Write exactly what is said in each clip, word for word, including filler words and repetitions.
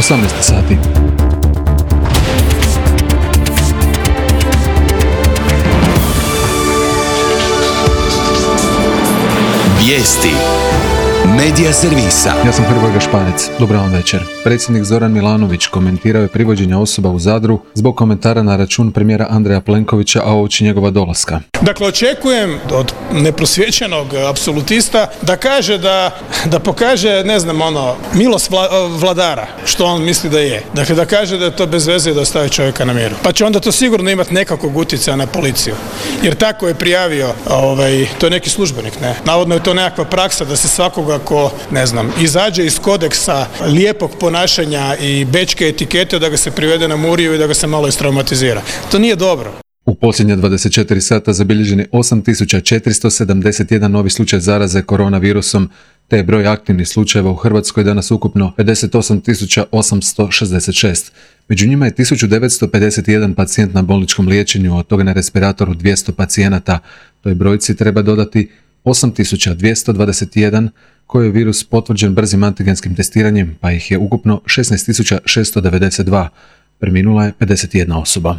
osamnaest sati. Vijesti Medija servisa. Ja sam Hrvoje Gašparec. Dobar vam večer. Predsjednik Zoran Milanović komentirao je privođenje osoba u Zadru zbog komentara na račun premijera Andreja Plenkovića, a uoči njegova dolaska. Dakle, očekujem od neprosvjećenog apsolutista da kaže da, da pokaže, ne znam, ono, milost vla, vladara, što on misli da je. Dakle, da kaže da je to bez veze i da ostavi čovjeka na miru. Pa će onda to sigurno imati nekakvog utjecaja na policiju. Jer tako je prijavio, ovaj, to je neki službenik, ne? Navodno je to nekakva praksa da se svakoga ko, ne znam, izađe iz kodeksa lijepog ponašanja i bečke etikete, da ga se privede na muriju i da ga se malo istraumatizira. To nije dobro. U posljednje dvadeset četiri sata zabilježen je osam tisuća četiristo sedamdeset jedan novi slučaj zaraze koronavirusom, te je broj aktivnih slučajeva u Hrvatskoj danas ukupno pedeset osam tisuća osamsto šezdeset šest. Među njima je tisuću devetsto pedeset jedan pacijent na bolničkom liječenju, od toga na respiratoru dvjesto pacijenata. Toj brojci treba dodati osam tisuća dvjesto dvadeset jedan koji je virus potvrđen brzim antigenskim testiranjem, pa ih je ukupno šesnaest tisuća šesto devedeset dva. Preminula je pedeset jedna osoba.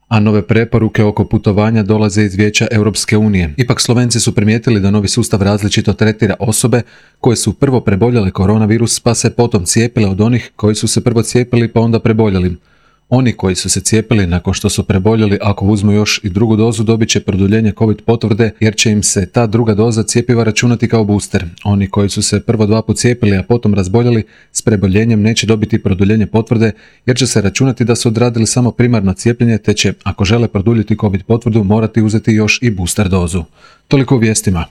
A nove preporuke oko putovanja dolaze iz Vijeća Europske unije. Ipak Slovenci su primijetili da novi sustav različito tretira osobe koje su prvo preboljele koronavirus pa se potom cijepile od onih koji su se prvo cijepili pa onda preboljeli. Oni koji su se cijepili nakon što su preboljeli, ako uzmu još i drugu dozu, dobit će produljenje COVID potvrde jer će im se ta druga doza cjepiva računati kao booster. Oni koji su se prvo dva put cijepili, a potom razboljeli, s preboljenjem neće dobiti produljenje potvrde jer će se računati da su odradili samo primarno cijepljenje, te će, ako žele produljiti COVID potvrdu, morati uzeti još i booster dozu. Toliko u vijestima.